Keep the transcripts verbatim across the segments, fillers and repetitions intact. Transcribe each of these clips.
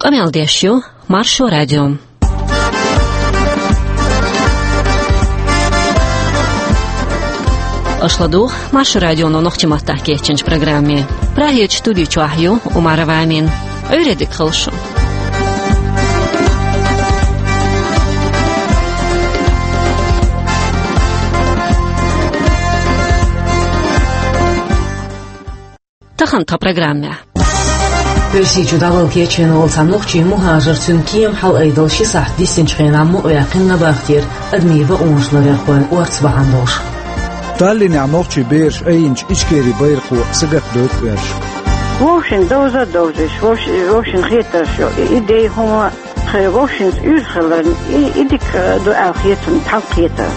Къамел деш ю Маршо радио. Аша ладугӀу Маршо радионо нохчийн маттахь кечйинчу программе. Прагерчу студи чохь ю Умарова Амина. Ӏуьйре дика хуьлда шун. Тахана тхан программехь. Оьрсийчу дӀавала кечвина волу цхьа нохчийн мухӀажар, цуьнан кема хьалаайдала ши сахьт дисинчу хенахь мукъаваьккхина набахтера адамийн бакъонаш ларъярхойн орца бахьана долуш. Таллинехь нохчийн бераш айинчу Ичкерин байракхо сагатдойту оьрсашка. Вовшийн довза а довзуьйтуш, вовш-, вовшийн хетарш ю, и, и дей хӀума, хе, вовшийн уьйр хиларна, и, и дика ду аьлла хетарна, тхьалкхетар.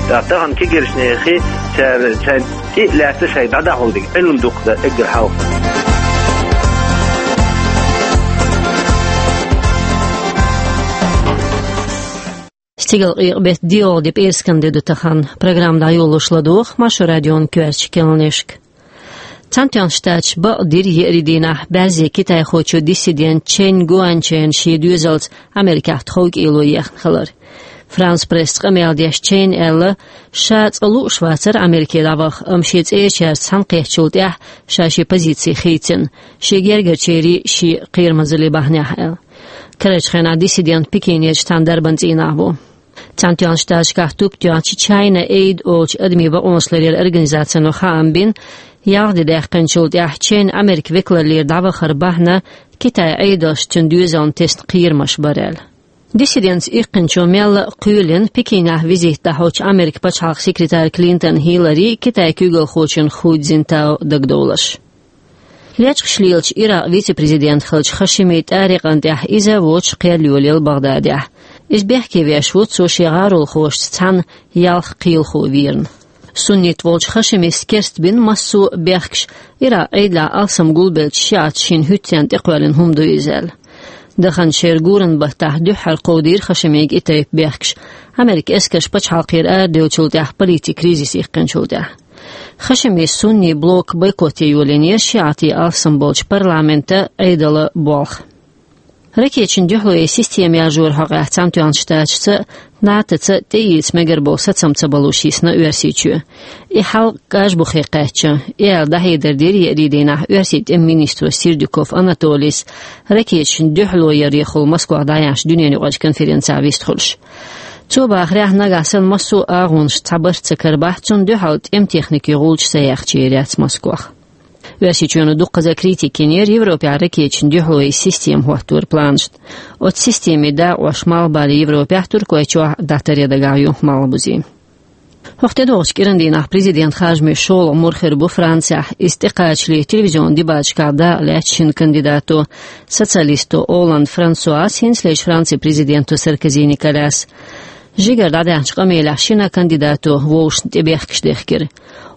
ТӀаккха тахана кегийрхошна хи, цара, цара тӀе а лаьцна шайн дӀадахьулдиг, Ӏилма дукха дан эггара хьалха. Стигала къекъа беттан доьалгӀа де, пӀераскан де ду тахана. Программа дӀайолош ладугӀу Маршо радион коьртачу кхаьънашка. Цхьаьнатоьхначу Штаташа бакъдира еарин дийнахь баьззе китайхочо диссидент Чен Гуанчен шен доьзалца Америкехь тховкӀело ехна хилар. Франс Пресс къамел деш Чен аьлла, ша цкъа лууш вацара Америке дӀаваха, амма шен цӀерачаьрца цхьаьнакхеттачул тӀаьхьа ша шен позици хийцина, шен гергарчеран шен кхерамазаллин бахьанехь аьлла. Карарчу хенахь диссидент Пекинерчу цхьана дарбан цӀийнахь ву. Цхьаьнатоьхначу Штаташкахь туп тоьхначу China Aid олучу адамийн бакъонаш ларъяран организацино хаам бина, ялх де даьккхинчул тӀаьхьа Чен Америкин векаллера дӀавахаран бахьана Китайн Ӏедалша цуьнан доьзална тесна кхерамаш бара аьлла. Диссидентца иккхинчо мелла а кхоьлина Пекинехь визит дӀахьочу Америкин пачхьалкхан секретарь Клинтон Хиллари, Китайн куьйгалхочун Ху Цзиньтао дагадовларш. Лечкъаш лелачу Иракъан вице-президент хиллачу Хашими ТӀарикъан тӀехь иза а воцуш кхел йолаелла БагӀдадехь. Иза бехке веш ву, цо шен гӀаролхошца цхьаьна ялх кхелахо верна. Суннит волчу Хашимис керстбина массо а бехкаш, Иракъан Ӏедалехь алсам гулбеллачу шиӀаташа шина хӀуьттаренна тӀекхоьллина хӀума ду иза аьлла. Даханчу шеран гуранан баттахь дуьххьара кховдийра Хашимига и тайпа бехкаш, Америкин эскарш пачхьалкхера арадевллачул тӀаьхьа политикан кризис иккхинчул тӀаьхьа. Хашимис суннийн блок бойкот е йолийнера шиӀатийн алсам болчу парламентан, Ӏедалан болх. Ракеташна дуьхьало йин система яржоран хьокъехь Цхьаьнатоьхначу Штаташца а, НАТОца а тӀеэца мегар болу сацам ца балуш йисна Оьрсийчоь. И хьал кӀажбухе кхаьчна. И аьлла дӀахьедар дира еарин дийнахь Оьрсийн тӀеман министро Сердюков Анатолийс, ракеташна дуьхьало ярехула Москвахь дӀаяьхьначу дуьненаюкъарчу конференцехь вистхуьлуш. Цо бахарехь, нагахь санна массо а агӀонаш цхьабарх ца карабахь, цунна дуьхьал тӀеман техникин гӀулч са яхча яц Москвах. Оьрсийчоьно дуккхаза критика йинера Европехь ракеташна дуьхьало йин система хӀотторан планашна. Оцу системин дакъош малхбале Европехь, Туркойчохь дӀатаръян дагахь ю малхбузий. ХӀокху тӀедогӀучу кӀиран дийнахь президентан харжамийн шолгӀа мур хир бу Францехь. Иза тӀекхачале телевизионан дебаташкахь дакъа лаьцна шина кандидато, социалисто Олланд Франсуас, хӀинцалерчу Францин президенто Саркози Николяс. Жигара дӀадаьхьначу къамелехь шина кандидато вовшашна тӀе бехкаш дехкира.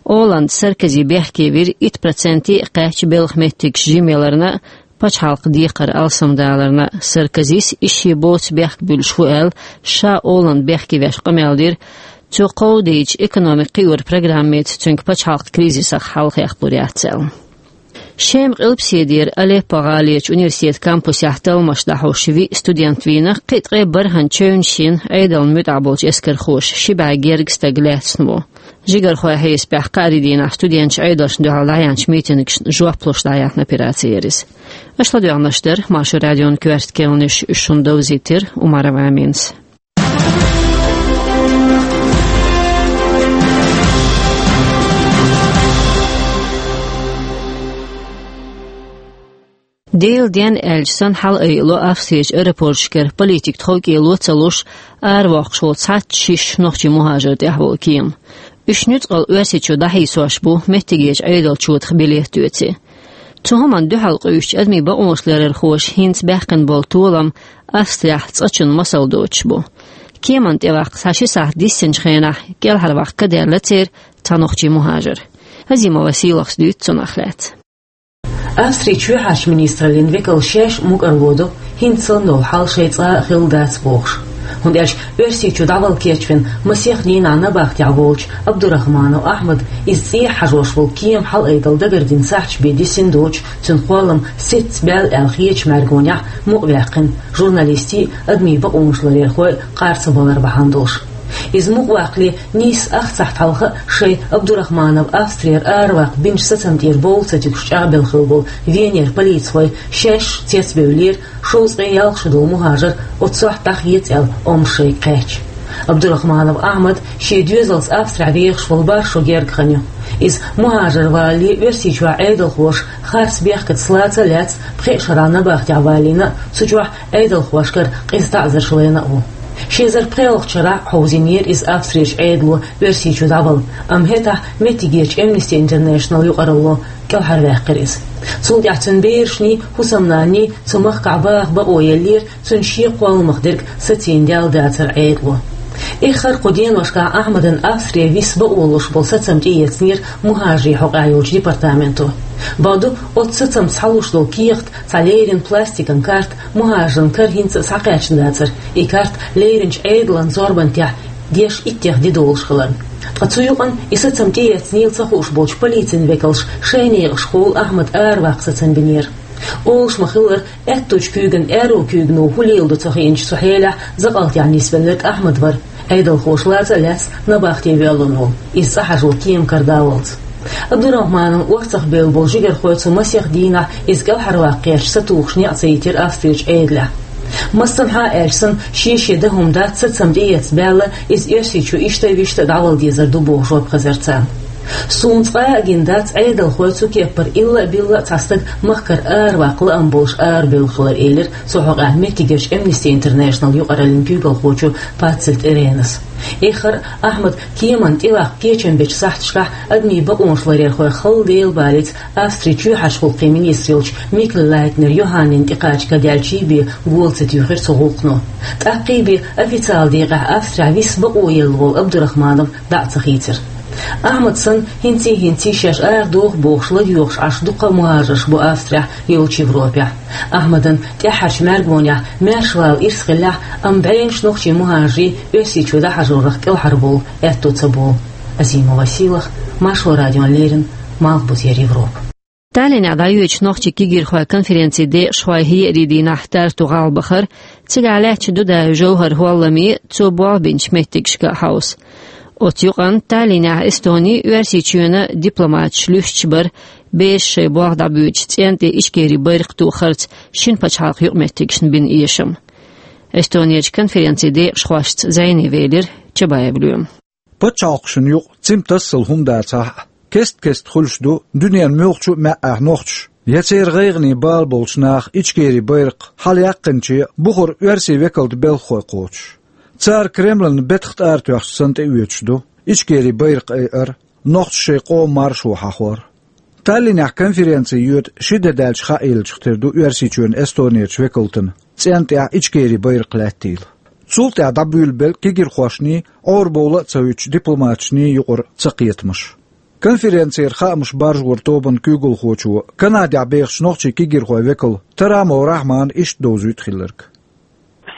Олланд Саркози бехке вира итт проценте а кхаьчна белхан меттигаш жима яларна а, пачхьалкхан декхар алсамдаларна а. Саркозис иза шен боцу бехк буьллуш ву аьлла, ша Олланд бехке веш къамел дира, цо кховдийча экономика кхиоран программица цуьнга пачхьалкхан кризисах хьалхахь лур яц аьлла. Шеман къилбаседера Алеппо гӀаларчу университетан кампусехь талламаш дӀахьош виъ студент вийна, кхин а ткъе бархӀанна чевнаш йина Ӏедална муьтӀахь болчу эскархоша, ши бӀе гергга стаг лаьцна ву. Жигархойн хьесапехь, кхаарин дийнахь студенташа Ӏедалшна дуьхьал дӀаяьхьначу митингашна жоп луш дӀаяьхьна операци яра иза. Аша ладоьгӀнарш дара Маршо радион коьрта кхаьънаш, уьш шуна довзийтира Умарова Аминас. Делан денна аьлча санна хьалаайало Австрерчу аэропорташкара политикан тховкӀело а ца луш, аравоккхуш волу цхьацца шиш нохчийн мухӀажар тӀехь волу кема. Уьш нуьцкъала Оьрсийчу дӀахьийсош бу меттигерчу Ӏедалчу чотах билет а оьций. Цу хӀуманна дуьхьал къуьйсучу адамийн бакъонаш ларъярхоша хӀинца баьккхина болу толам Австрехь цкъачунна масал доцуш бу. Кеманна тӀеваккха цхьа ши сахьт диссинчу хенахь кӀелхьарваккха ка даьлла церан цхьа нохчийн мухӀажар. Азимова Сийлахас дуьйцу цунах лаьцна. Австрин чоьхьарчу министраллин векалш шаьш а мукӀарло до, хӀинца санна долу хьал шайн цкъа а хилла дац бохуш. ХӀунда аьлча Оьрсийчу дӀавала кечвина масех дийнахь набахтехь волчу Абдурахманов Ахьмада иза цӀехьа хьажош волу кема хьалаайдала дагардина сахьташ бен дисина доцуш, цуьнан кхоллам сецна баьлла аьлла хетачу мӀаьргонехь мукъаваьккхина журналистий а, адамийн бакъонаш ларъярхой а кхарцабалар бахьана долуш. Иза мукъаваккхале нийсса ах сахьт хьалха а шайн Абдурахманов Австрера араваккха бинчу сацам тӀера бовла ца туьгуш чӀагӀбелла хилла болу Венера полицихой шаьш цецбевллера, шовзткъе ялх шо долу мухӀажар оццохь дӀахеца аьлла омра шайга кхаьчча. Абдурахманов Ахьмад шен доьзалца Австрехь вехаш волу бархӀ шо гергга хан ю. Иза мухӀажар валале Оьрсийчохь Ӏедалхоша харц бехкаца лаца а лаьцна, пхеа шарахь набахтехь валийна а, цу чохь Ӏедалхошкара къиза таӀзарш лайна а ву. Ши эзар пхоьалгӀачу шарахь хьовзийнера иза Австрерчу Ӏедало Оьрсийчу дӀавала, амма хӀетахь меттигерчу Amnesty International юкъаралло кӀелхьарваьккхира иза. Цул тӀаьхьа цуьнан берашний, хӀусамнанний цу махкахь баха бакъо еллера, цуьнан шен кхолламах дерг сацийна даьлла дацара Ӏедало. Эххар а кху деношкахь Ахьмадан Австре виса бакъо луш болу сацам тӀеэцнера мухӀажарийн хьокъехь йолчу департаменто. Бакъду, оцу сацамца схьалуш долу кехат, цхьа леррина пластикан карта мухӀажаран кара хӀинца а схьакхаьчна дацара, и карта лерринчу Ӏедалан зорбан тӀехь деш иттех де долуш хиларна. Ткъа цу юкъанна и сацам тӀеэцнийла ца хууш болчу полицин векалша шайн некъашхула Ахьмад араваккха сацам бинера. Олуш ма-хиллара, аьттучу куьйган аьрру куьйгано хӀун леладо ца хиъначу цу хьелехь закъалтехь нисвелларг Ахьмад вара, Ӏедалхоша лаца а лаьцна набахте воьллина волу, иза цӀа хьажо кема карадаллалц. Абдурахманан орцахбевлла болу жигархой цу масех дийнахь иза кӀелхьарваккха гӀерташ сатухуш некъ ца йитира Австрерчу Ӏедалехь. Массанхьа а аьлча санна, шен-шен дан хӀума дац, сацам тӀеэцна баьлла, иза Оьрсийчу иштта а, виштта а дӀавала дезар ду боху жоп хезара царна. Суна цкъа а гина дац, Ӏедалхой цу кеппара илла а, билла а цхьа стаг махкара араваккха лаам болуш арабевлла хилар, элира цу хьокъехь меттигерчу Amnesty International юкъараллин куьйгалхочо Паццельт Иренас. Эххар а Ахьмад кеманна тӀеваккха кечам бечу сахьташкахь адамийн бакъонаш ларъярхой хала Дела балийца Австрин чоьхьарчу гӀуллакхийн министр йолчу Микл Лайтнер Йоханнина тӀекхача кадаьллачий бен гола ца туьйхира цу гӀуллакхо. ТӀаккхий бен официалан декъехь Австрехь виса бакъо елла волу Абдурахманов дӀа а ца хийцира. Ахьмад санна, хӀинций-хӀинций шаьш арадоху бохуш ладоьгӀуш Ӏаш дуккха а мухӀажарш бу Австрехь, йолчу Европехь. Ахьмадан тӀаьххьарчу мӀаьргонехь маьршавала ирс хиллехь, амма бӀеннаш нохчийн мухӀажарийн Оьрсийчу дӀахьажорах кӀелхьарволу аьтто ца болу. Азима Василах, Маршо радион леррина, Малхбузера Европа. Таллинехь дӀайоьдучу нохчийн кегирхойн конференцин декъашхой хӀеарий дийнахь Тарту гӀалахь бахара, цигахь лаьттачу Дудаев ЖовхӀаран хӀолламе а, цо болх бинчу меттигашка а хьовса. Оцу юкъанна Таллинехь Эстонин а, Оьрсийчоьнан а дипломаташ луьстуш бара бераш шайн болх дӀабоьдучу цӀен тӀе Ичкерин байракх тухарца шина пачхьалкхан юкъаметтигашна бина эшам. Эстонерчу конференцин декъашхошца зӀене велира Чабаев Лоьма. Пачхьалкхашна юкъа цимма тассал хӀума дацахь а, кест-кеста хуьлуш ду дуьненан муьлххачу а маьӀӀехь нохчаша я церан гӀайгӀанийн бала болчу наха Ичкерин байракх хьалаяьккхинче бухара оьрсийн векалан белхахой кхочуш. Цара Кремлана бетах тӀара тоьхча санна тӀеоьцуш ду Ичкерин байракх айар, нохчаша шайн къоман маршо хьахор. Таллинехь конференци йоьду ши де даьлча хаа еллачух тера ду Оьрсийчоьнан Эстонерчу векалтана цӀен тӀехь Ичкерин байракх лаьттийла. Цул тӀаьхьа дӀабуьйлабелла кегирхошний, Ӏорабовла а ца хӀуьттучу дипломаташний юкъара цакхетамаш. Конференцера хаамаш баржоран тобанан куьйгалхочо Канадехь бехачу нохчийн кегирхойн векала Тарамов Рахьмана иштта довзуьйту хилларг.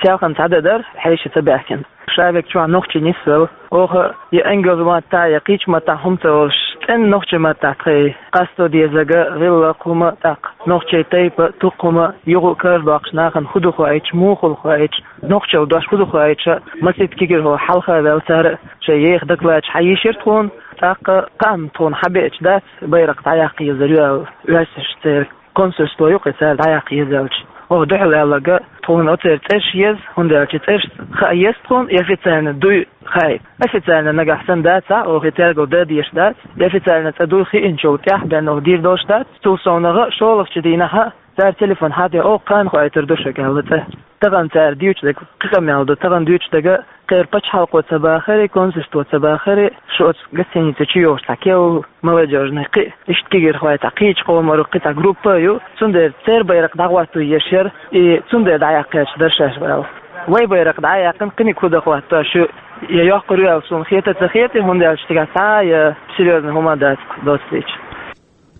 Селхана цхьа де дара, хьеший ца баьхкина. Ша верг чохь нохчий нисвелла. Оха я ингалс маттахь, я кхечу маттахь хӀума ца олуш, цӀена нохчийн маттахь тхайн къасто дезарг, гӀиллакх, хӀума, тӀаккха нохчийн тайпа, тукхум, юха а карадоккхуш нахана хӀун ду хоуьйтуш, муха хуьлу хоуьйтуш, нохчалла дош хӀун ду хоуьйтуш, масийтта кегирхой хьалха а ваьлла, цара шайн еха докладаш хьайийшира тхуна, тӀаккха кхаам тхуна хьабеъча дац, байракх дӀаяккха езар ю аьлла, оьрсаша церан консульство ю-кх и цара дӀаяккха еза аьлча. Оха дуьхьал аьлларг, тхуна оцеран цӀераш еза, хӀунда аьлча цӀераш хаа еза тхуна, и официально дуй хаийта. Официально нагахь санна дацахь, оха и тергал дан дезаш дац, и официально цӀе дуй хиъначул тӀаьхьа бен оха дийр долуш дац, цул совнагӀа шолгӀачу дийнахь а цара телефон хьадехь, оха кхана хоуьйтур ду шуьга аьлла цӀе. Тахана цара дуьйцуш дерг кхин къамел ду, тахана дуьйцуш дерг, кхеран пачхьалкхо ца бахара, консульство ца бахара, шу оцу гостиница чу йолуш цхьа кев, молодёжный кхин, иштта кегирхой цхьа кхечу къоман кхин цхьа группа а ю, цундела церан байракх дӀахӀотто езаш яра, и цундела дӀаяккхаьча дара шаьш аьлла. Вайн байракх дӀа а яьккхина, кхиниг хӀун дан хӀоттор ю, я йоккхур ю аьлла суна хета а ца хета, хӀунда аьлча цигахь цхьа а я серьёзный хӀума дац доццуьйтуш.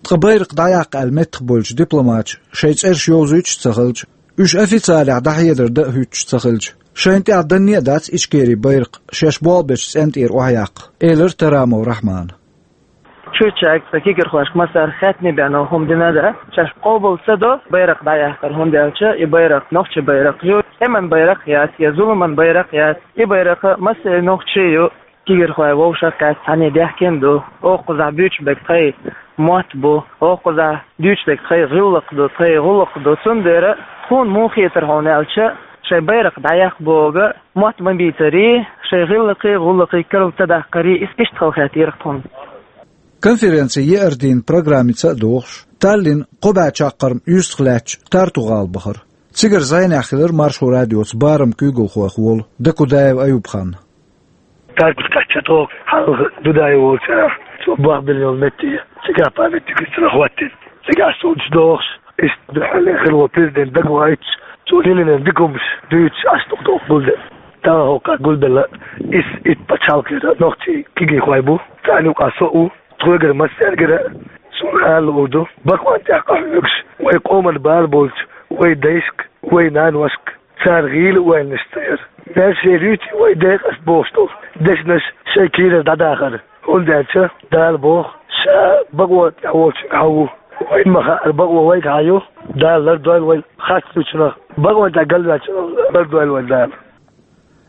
Ткъа байракх дӀаяккха аьлла меттахбевллачу дипломаташа шайн цӀераш йовзуьйтуш а ца хилча, уьш официалехь дӀахьедар дан а хӀуьттуш ца хилча, Шайна тӀехь данне а дац Ичкерин байракх шаьш болх бечу цӀен тӀера охьаяккха, элира Тарамов Рахьмана. Чуьрчаьрга сан кегийрхошка массара хаьттина бен хӀума дина а дац, шаьш къобал ца до байракх дӀаяккхар, хӀунда аьлча и байракх нохчийн байракх ю, тӀеман байракх яц, я зуламан байракх яц, и байракх массеран нохчийн ю. Кегийрхой вовшах а кхаьчча, цхьаьна даьхкина ду. Оха кхузахь буьйцуш берг тхайн мотт бу, оха кхузахь дуьйцуш дерг тхайн гӀиллакх ду, тхайн гӀуллакх ду. Цундела тхуна муха хетара хьуна аьлча, шайн байракх дӀаяккха бохург мотт ма бийцарий, шайн гӀиллакхий, гӀуллакхий карла ца даккхарий, иза иштта хала хаьттира тхуна. Конференци еара дийнан программица а догӀуш, Таллин кхо бӀе чаккхарма юьстах лаьттачу Тарту-гӀала бахара. Цигара зӀенехь хилира Маршо радиоца барам куьйгалхойх волу Дакудаев Аюб-хан. Таркус кхаьчча тхо хьалха Дудаев волчу, цо бохбелла йолу метте, цигахь памятник йицарх хӀоттийна. Цигахь суьйцуш дохуш, иштта дуьххьарлера хилла волу президент дагавоуьйтуш, цо лелийна дика хӀумаш дуьйцуш, Ӏаш тӀе-тӀе гулбелла. Тахана хӀокху гулбелла, исс итт пачхьалкхера нохчий кегийрхой бу, царна юкъахь со а ву, тхоьгара массаьргара а суна ала луур ду, бакъонан тӀехь къахьоьгуш, вайн къоман бала болчу вайн дайшка, вайн наношка, цара гӀийла ойланаш ца яр. Маьрша яр юьйцу вайн декъаст бохуш долу дешнаш шайн кийрара дӀадахар, хӀунда аьлча Дала боху, Ша бакъонан тӀехь волчуьнга хьан ву. Вайна ма хаара, бакъо вайга хьан ю, Дала лардойла вай харц дуьйцунах, бакъонан тӀехь галваьллачунах лардойла вай Дала.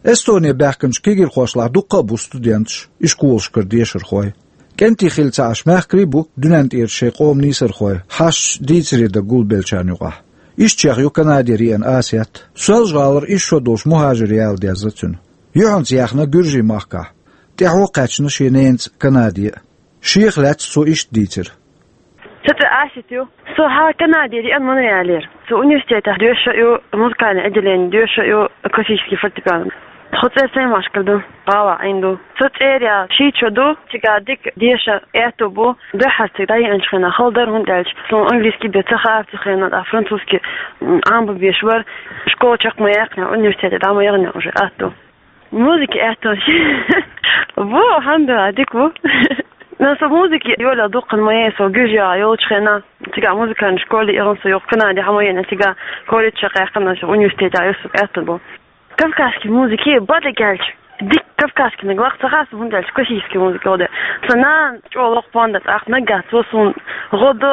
Эстоне баьхкинчу кегийрхошлахь дуккха а бу студенташ, ишколашкара дешархой. КӀентий хилла ца Ӏаш, мехкарий а бу дуьнен тӀера шайн къоман нийсархой, хьашташ дийцаре дан гулбеллачарна юкъахь. Ишттачех ю Канадера еана Асет. Соьлжа-ГӀалара исс шо долуш мухӀажир яла дезна цуьнан. Юьхьанца яьхна Гуьржийн махкахь. ТӀаьхьо кхаьчна шен ненаца Канаде а. Шех лаьцна цо иштта дийцира. Сан цӀе Асет ю. Со хьан Канадера еана Монреалера. Со университетехь доьшуш а ю, музыкальный отделение доьшуш а ю, классический фортепиано. Тхо цӀера Саймашкара ду, гӀалахь Ӏийна ду. Со цӀера яла шийтта шо ду, цигахь дика деша аьтто бу. Дуьххьара цига дӀаеанчу хенахь хала дара, хӀунда аьлча суна английский бен ца хаьара цу хенахь, ткъа французский, м, Ӏамабан безаш вара. Школа чекх ма яьккхинехь, университете дӀа ма яханехь уже аьтто. Музыка аьттонаш. Ву, алхьамдулиллахӀ, дика ву. Но со музыка йолалла дуккха ма яра, со Гуьржехь йолчу хенахь, цигахь музыкальный школе яхана со, юха Канаде хьан ма яхана, цигахь колледжехь яьккхина, университетехь йолу со аьтту бу. Кавказский музыка, бадагӀа аьлча, дика кавказский наг лакха ца хаьа суна, хӀунда аьлча классический музыка гӀо до. Сан нана чӀогӀа локху пондар, тӀаккха наггахь цо суна гӀо до.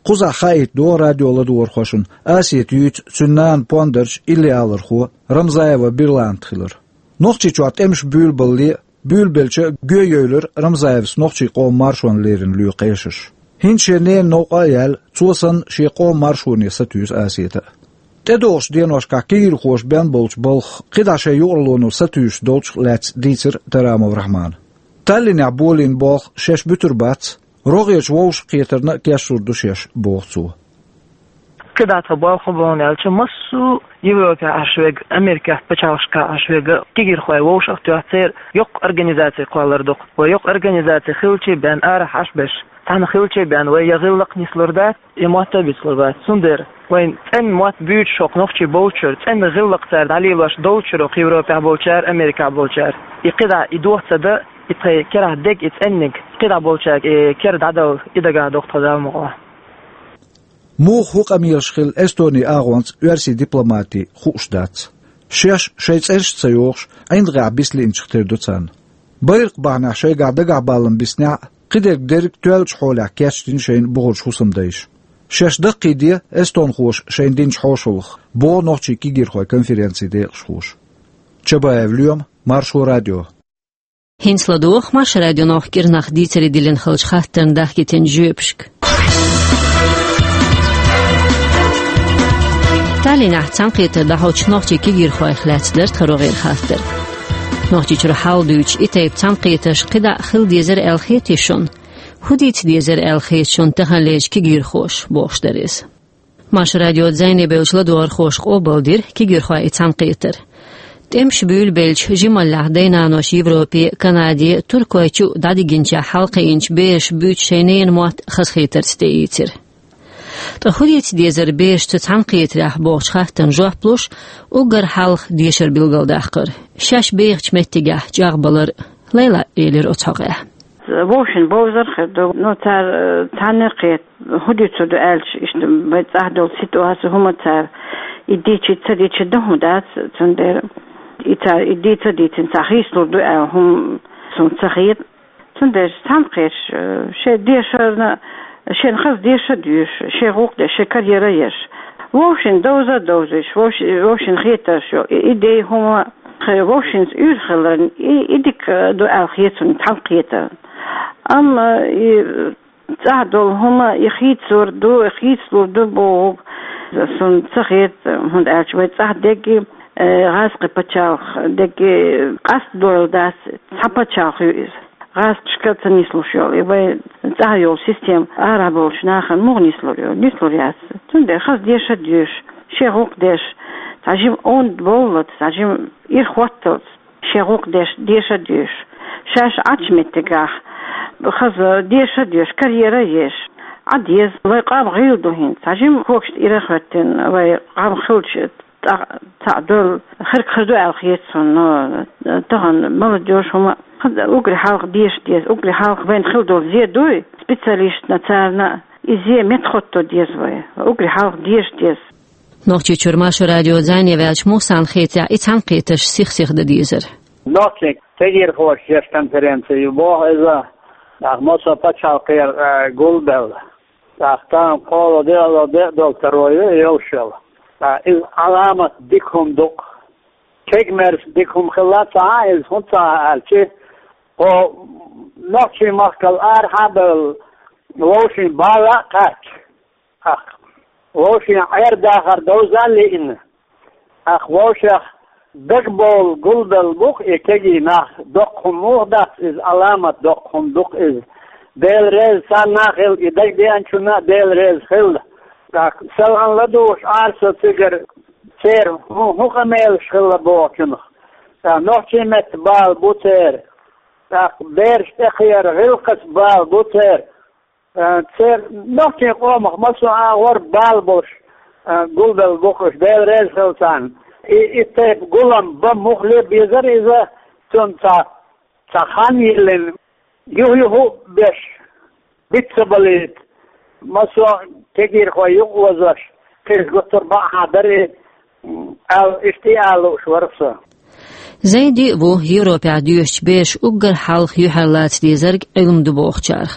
Кхузахь хаийта догӀу радио ладогӀархошна, Асета юьйцу цуьнан нана пондарча иллиалархо Рамзаева Бирлант хилар. Нохчийчохь тӀемаш буьйлабалале а, буьйлабелча а гоьйойуьйлура Рамзаевс нохчийн къоман маршонна леррина лоьху эшарш. ХӀинца шен ненан новкъа а яьлла, цо санна шен къоман маршоне сатуьйсу Асета а. ТӀедогӀучу деношкахь кегийрхоша бен болчу балхах кхидӀа шайн юкъаралло сатуьйсуш долчух лаьцна дийцира Тарамов Рахьмана. Таллинехь болийна болх шаьш буьтур бац, рогӀерчу вовшахкхетарна а кечлур ду шаьш, боху цо. КхидӀа тхан болх хӀун бу аьлча, массо а Европехь Ӏаш верг, Америкехь пачхьалкхашкахь Ӏаш верг кегийрхой вовшах а тоьхна, церан йоккха организаци кхоллар ду-кх. Вай йоккха организаци хилча а бен арахь Ӏаш берш, цхьаьна хилча а бен вай я гӀиллакх нислур дац, я мотт а бицлур бац. Цундела вайн цӀена мотт буьйцуш хӀокху нохчий болчуьра, цӀена гӀиллакх цара дӀалелош долчуьра хӀокху Европехь болчара, Америкехь болчара, и кхидӀа и дохо ца дан, и тхайн керахь дерг, и цӀенниг кхидӀа болчаьрга и кера дӀадала, и дагахь ду-кх тхан Далла мукъалахь. Муха хӀун къамелаш хилла Эстонин агӀонца оьрсийн дипломатийн, хууш дац. Шаьш шайн цӀераш а ца йохуш, ӀиндагӀехь бицлиъначух тера ду царна. Байракх бахьанехь шайгахь дагахь баллам биснехь а, кхидерг дерриг тоьллачу хьолехь кечдина шайна бухарчу хӀусамдайша. Шаьш даккхийде эстонхоша шайна динчу хьошалгах, боху нохчийн кегийрхойн конференцин декъашхоша. Чабаев Лоьма, Маршо радио. ХӀинца ладогӀа Маршо радионо кӀирнах дийцаре диллина хиллачу хаттарна дахкийтинчу жоьпашка. Таллинехь цхьаьнакхетар дӀахьочу нохчийн кегийрхойх лаьцна дара тхан рогӀера хаттар. Нохчийчуьра хьал дуьйцуш, и тайпа цхьаьнакхетарш кхидӀа а хила дезара аьлла хетий шуна? ХӀун дийца дезара аьлла хета шуна таханлерчу кегийрхоша, бохуш дара иза. Маршо радион зӀене бевллачу ладогӀархоша къобалдира кегийрхойн и цхьаьнакхетар. ТӀемаш буьйлабелча, жималлехь дай-наноша Европе, Канаде, Туркойчу дӀадигинчехь хьалакхиъначу бераша буьйцу шайн ненан мотт хазахетарца тӀеийцира. Ткъа хӀун дийца дезара бераш цу цхьаьнакхетарехь бохучу хаттарна жоп луш, уггар хьалха дешар билгалдаккхара, шаьш бехачу меттигехь чӀагӀбалар а, Лайла элира оцу хьокъехь. Вовшийн бовзар хир ду, ну, цара, э, цхьаьнакхета, хӀун дуьйцур ду аьлча, иштта, вайн цӀахь долу ситуаци, хӀума цара и дийцича, ца дийцича дан хӀума дац, цундела И цара и дийца а дийцина, цхьа хийцалур ду аьлла хӀума суна ца хета. Цундела цхьаьнакхеташ, э, шайн дешарна, шайна хаза деша а доьшуш, шайн гӀуллакх деш, шайн карьера еш. Вовшийн довза а довзуьйтуш, вовш-, вовшийн хетарш йолу, и, и дей хӀума, хе-, вовшийн уьйр хиларна, и, и дика ду аьлла хета суна цхьаьнакхетарна. Амма и цӀахь долу хӀума, и хийцалур ду, и хийцалур ду бохург суна ца хета, хӀунда аьлча вай цӀахь дерриге, э, гӀазкхийн пачхьалкх дерриге къастадойла дац, цхьа пачхьалкх ю иза. ГӀазкхашка ца нислуш йолу, и вай цӀахь йолу система арахь болчу нахана муха нислур ю? Нислур яц. Цундела хаза деша а доьшуш, шайн гӀуллакх деш, цхьа жима онда бовллалц, цхьа жима ира хӀотталц, шайн гӀуллакх деш, деша а доьшуш, шаьш Ӏачу меттигахь хаза деша а доьшуш, карьера а еш, Ӏа деза. Вай къам гӀийла ду хӀинца. Цхьа жима когашна ира а хӀоьттина, вай къам хилча, цхьа, цхьаъ долу хирг хир ду аьлла хета суна, но тахана молодёжь хӀума хаза уггаре хьалха деша деза, уггаре хьалха вайна хила долу зе дуй, специалистна царна и зе меттахӀотто деза вай, уггаре хьалха деша деза. Нохчийчуьра Маршо радион зӀене ваьллачу Мусана хетарехь, и цхьаьнакхетарш сих-сиха дан дезара. Нохчийн кегийрхоша еш конференци ю боху иза, тӀаккха массо а пачхьалкхера, а, гулбелла. ТӀаккха тахана кхоалгӀа де а, де а долу таро ю и йолуш йолу. Ткъа иза Ӏаламат дика хӀума ду-кх. Кегамерса дика хӀума хилла ца Ӏа иза, хӀунда ца Ӏа аьлча, кху нохчийн махкал арахьа а бевлла, вовшийн бала а кхаьчча, тӀаккха вовшийн Ӏер-дахар довза а лиъна, тӀаккха вовшех дагабовла гулбелла бу-кх и кегий нах. Доккха хӀума муха дац иза, Ӏаламат доккха хӀума ду-кх иза. Дела реза царна а хила, и дагадеанчунна а Дела реза хила. ТӀаккха селхана ладугӀуш Ӏара со цигара, церан хӀун, хӀун къамелаш хилла бохучунах. ТӀаккха нохчийн меттан бала бу церан. ТӀаккха бераш тӀекхеран гӀиллакхаца бала бу церан. Э, церан нохчийн къомах массо а агӀор бала болуш, э, гулбелла бу-кх уьш, Дела реза хила царна. И, и тайпа гулам бан муххале а безара иза, цунна цхьа, цхьа хан йиллина, юх-юха а беш, биц ца балийта, массо а кегийрхой юкъаозош, кхин гуттар а бакъахьа дара и, м, аьлла, иштта а ала лууш вара со. Зайн диъ бу Европехь доьшучу бераш уггар хьалха юьхьарлаца дезарг Ӏилма ду бохучарах.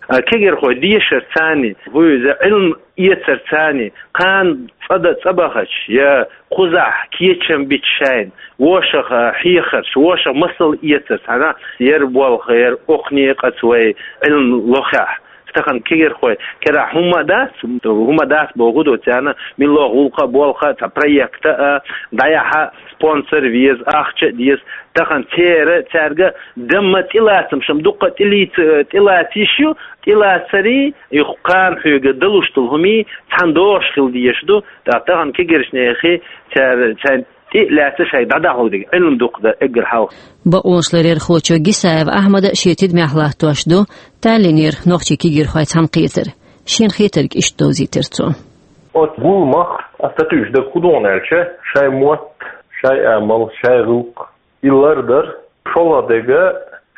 А кегийрхой дешарца, хӀу иза, Ӏилма эцарца, кхана цӀа дан цӀа бахча, я кхузахь кечам бича шайна, вошах, а, хьехарш, вошах масал эцарца, хьана, яра болх, яра окху некъаца вай Ӏилма лохехь. Тахана кегийрхой керахь хӀумма а дац, хӀумма а дац боху ду, царна милла гӀуллакх а, болх а, цхьа проект а, дӀаяхьа спонсор веза, ахча а деза. Тахана церан, цаьрга дамма тӀелацам шам дуккха а тӀелийца-, тӀелаца йиш ю, тӀелацарий, и кхана хьоьга далуш долу хӀумий цхьаьна догӀуш хила дезаш ду, тӀаккха тахана кегийрхошна хи цара, царна тӀе а лаьцна шайга дӀадахьалург дерг Ӏилма дукха дан эггара хьалха. Бакъонашларъярхочо Гисаев Ахьмада шен тидамехь латтош ду Таллинера нохчийн кегийрхой цхьаьнакхетар. Шена хетарг иштта довзийтира цо. Оцу гуламах ас ца туьйсу дага хӀун ду аьлча, шайн мотт, шайн амал, шайн гӀиллакх, и лардар, шолгӀа дерг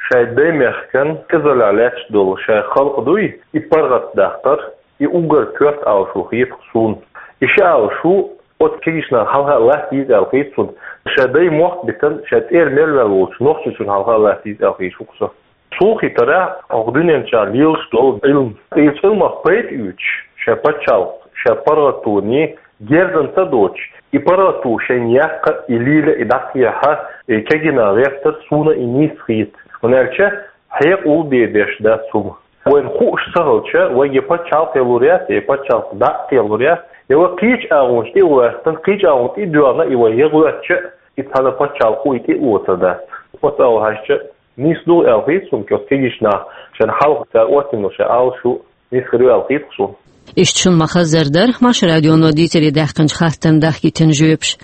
шайн даймехкан кӀезаллехь лаьтташ долу шайн халкъ дуй, и паргӀатдаккхар, и уггар коьрта алашу хета-кх суна. И ши алашу оцу кегийчу наха хьалха а латта деза аьлла хета суна. Шайн даймохк а битина, шайн тӀера мел ваьлла волчу Нохчийчунна хьалха а латта деза аьлла хета-кх со. Суна хетарехь, хӀокху дуьнен чу лелаш долу Ӏилма. Иза Ӏилмах пайда оьцуш, шайн пачхьалкх, шайн паргӀатоне герзан ца доцуш, и паргӀато шайна яккха, и лела, и дӀакхехьа, и кегий нах гӀертар суна и нийса хета. ХӀунда аьлча хьекъал бен беш дац хӀума. Вайна хууш ца хилча, вайга я пачхьалкх ялур яц, я пачхьалкх дӀа а ялур яц, я вай кхечу агӀонаш тӀе а гӀоьртина, кхечу агӀонна тӀе а доьгӀна, и вай я гӀоьртча, и цхьана пачхьалкхо и тӀе а оцур дац. Оцу агӀор хьаьжча, нийса ду аьлла хета суна, кху кегийчу наха шайна хьалха цара оццуьнга шайн алашу нийса хир ю аьлла хета суна. Иштта шуна ма-хаззара дара Маршо радионо дийцаре даьккхинчу хаттарна дахкийтина жоьпаш.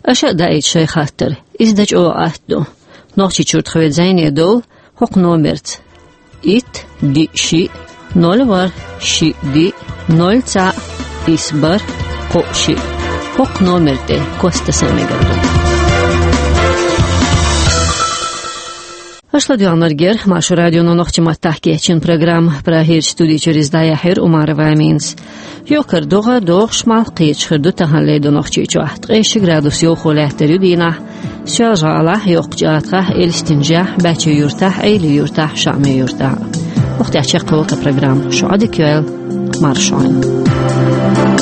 Аша а даийта шайн хаттар, иза дан чӀогӀа атта ду. Нохчийчуьра тхоьца зӀене довла хӀокху номерца: итт, диъ, шиъ, ноль, ворхӀ, шиъ, диъ, ноль, цхьаъ, исс, бархӀ, кхоъ, шиъ. ХӀокху номер тӀе кост тасар мегар ду. Аша ладоьгӀнарг яра Маршо радионо нохчийн маттахь кечйина программа. Прагерчу студи чуьра иза дӀаяьхьира Умарова Аминас. Йоккхара догӀа, догӀуш малх кхеташ хир ду таханлера ду Нохчийчохь. Ткъе ши градус йовхо лаьттар ю дийнахь. Шолжа ГӀалахь, Йоккхача ГӀатахь, Элистанахь, Бачи-Юртахь, Эли-Юртахь, Шамай-Юртахь. Охтя чекхволта программа. Шух дика йойла, маршонь.